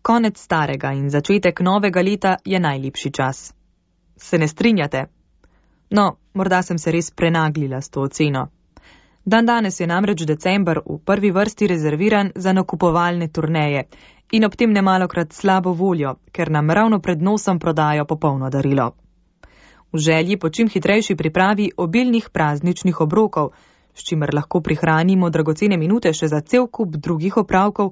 Konec starega in začetek novega leta je najlepši čas. Se ne strinjate? No, morda sem se res prenaglila s to oceno. Dandanes je namreč december v prvi vrsti rezerviran za nakupovalne turneje in ob tem nemalokrat slabo voljo, ker nam ravno pred nosom prodajo popolno darilo. V želji po čim hitrejši pripravi obilnih prazničnih obrokov, s čimer lahko prihranimo dragocene minute še za cel kup drugih opravkov,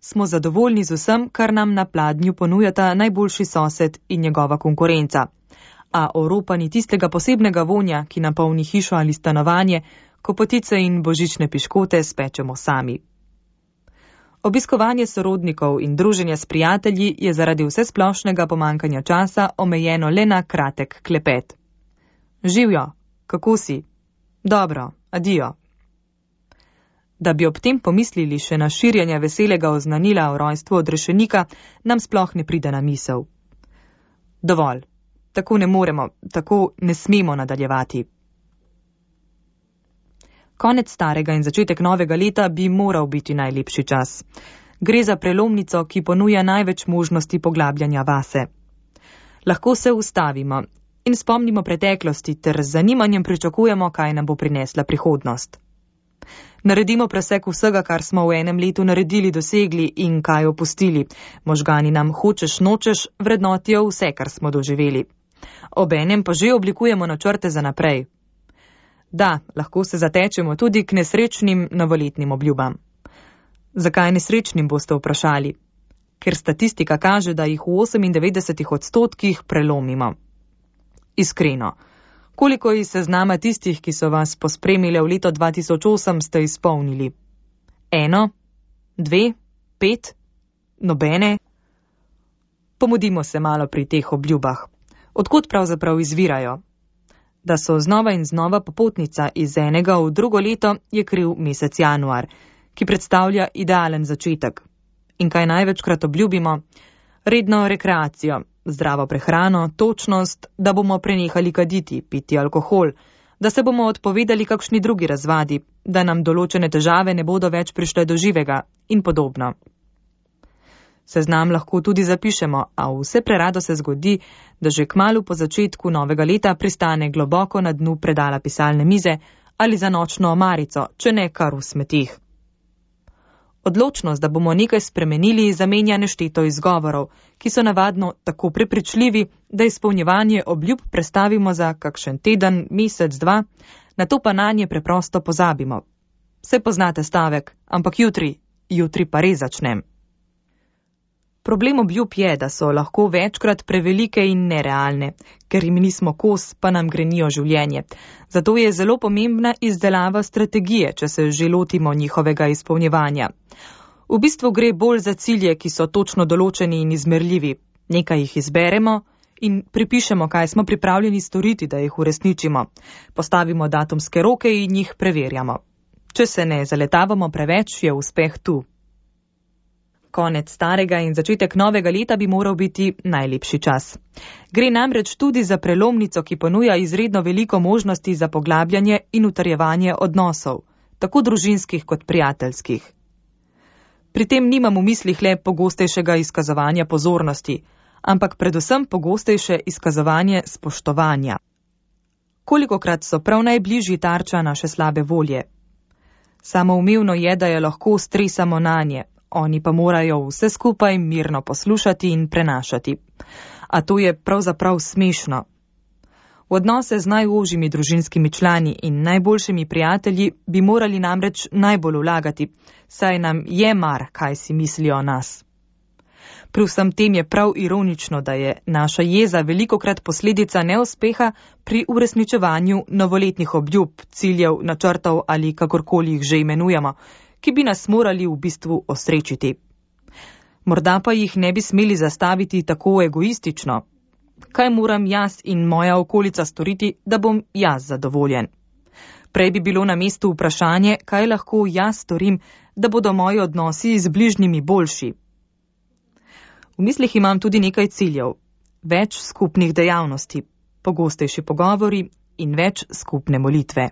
smo zadovoljni z vsem, kar nam na pladnju ponujata najboljši sosed in njegova konkurenca. A Oropa ni tistega posebnega vonja, ki napolni hišo ali stanovanje, ko potice in božične piškote spečemo sami. Obiskovanje sorodnikov in druženje s prijatelji je zaradi vsesplošnega pomankanja časa omejeno le na kratek klepet. Živjo, kako si? Dobro, adijo. Da bi ob tem pomislili še na širjenje veselega oznanila o rojstvu odrešenika, nam sploh ne pride na misel. Dovolj, tako ne moremo, tako ne smemo nadaljevati. Konec starega in začetek novega leta bi moral biti najlepši čas. Gre za prelomnico, ki ponuja največ možnosti poglabljanja vase. Lahko se ustavimo in spomnimo preteklosti ter z zanimanjem pričakujemo, kaj nam bo prinesla prihodnost. Naredimo presek vsega, kar smo v enem letu naredili, dosegli in kaj opustili. Možgani nam hočeš nočeš vrednotijo vse, kar smo doživeli. Obenem pa že oblikujemo načrte za naprej. Da, lahko se zatečemo tudi k nesrečnim novoletnim obljubam. Zakaj nesrečnim, boste vprašali? Ker statistika kaže, da jih v 98% prelomimo. Iskreno, koliko iz seznama tistih, ki so vas pospremile v leto 2008, ste izpolnili? 1, 2, 5, nobene? Pomudimo se malo pri teh obljubah. Odkot pravzaprav izvirajo? Da so znova in znova popotnica iz enega v drugo leto, je kriv mesec januar, ki predstavlja idealen začetek. In kaj največkrat obljubimo? Redno rekreacijo, zdravo prehrano, točnost, da bomo prenehali kaditi, piti alkohol, da se bomo odpovedali kakšni drugi razvadi, da nam določene težave ne bodo več prišle do živega in podobno. Seznam lahko tudi zapišemo, a vse prerado se zgodi, da že kmalu po začetku novega leta pristane globoko na dnu predala pisalne mize ali za nočno omarico, če ne kar v smetih. Odločnost, da bomo nekaj spremenili, zamenja nešteto izgovorov, ki so navadno tako prepričljivi, da izpolnjevanje obljub prestavimo za kakšen teden, mesec, dva, nato pa nanje preprosto pozabimo. Saj poznate stavek, ampak jutri pa res začnem. Problem obljub je, da so lahko večkrat prevelike in nerealne, ker jim nismo kos, pa nam grenijo življenje. Zato je zelo pomembna izdelava strategije, če se že lotimo njihovega izpolnjevanja. V bistvu gre bolj za cilje, ki so točno določeni in izmerljivi. Nekaj jih izberemo in pripišemo, kaj smo pripravljeni storiti, da jih uresničimo. Postavimo datumske roke in jih preverjamo. Če se ne zaletavamo preveč, je uspeh tu. Konec starega in začetek novega leta bi moral biti najlepši čas. Gre namreč tudi za prelomnico, ki ponuja izredno veliko možnosti za poglabljanje in utrjevanje odnosov, tako družinskih kot prijateljskih. Pri tem nimam v mislih le pogostejšega izkazovanja pozornosti, ampak predvsem pogostejše izkazovanje spoštovanja. Kolikokrat so prav najbližji tarča naše slabe volje? Samoumevno je, da je lahko stresamo nanje. Oni pa morajo vse skupaj mirno poslušati in prenašati. A to je pravzaprav smešno. V odnose z najožjimi družinskimi člani in najboljšimi prijatelji bi morali namreč najbolj vlagati, saj nam je mar, kaj si mislijo o nas. Pri vsem tem je prav ironično, da je naša jeza velikokrat posledica neuspeha pri uresničevanju novoletnih obljub, ciljev, načrtov ali kakorkoli jih že imenujemo, ki bi nas morali v bistvu osrečiti. Morda pa jih ne bi smeli zastaviti tako egoistično. Kaj moram jaz in moja okolica storiti, da bom jaz zadovoljen? Prej bi bilo na mestu vprašanje, kaj lahko jaz storim, da bodo moji odnosi z bližnjimi boljši. V mislih imam tudi nekaj ciljev. Več skupnih dejavnosti, pogostejši pogovori in več skupne molitve.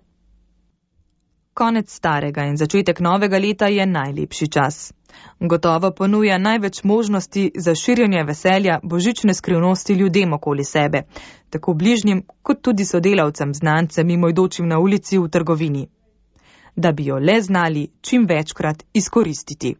Konec starega in začetek novega leta je najlepši čas. Gotovo ponuja največ možnosti za širjenje veselja božične skrivnosti ljudem okoli sebe, tako bližnjim kot tudi sodelavcem, znancem, mimoidočim na ulici, v trgovini. Da bi jo le znali čim večkrat izkoristiti.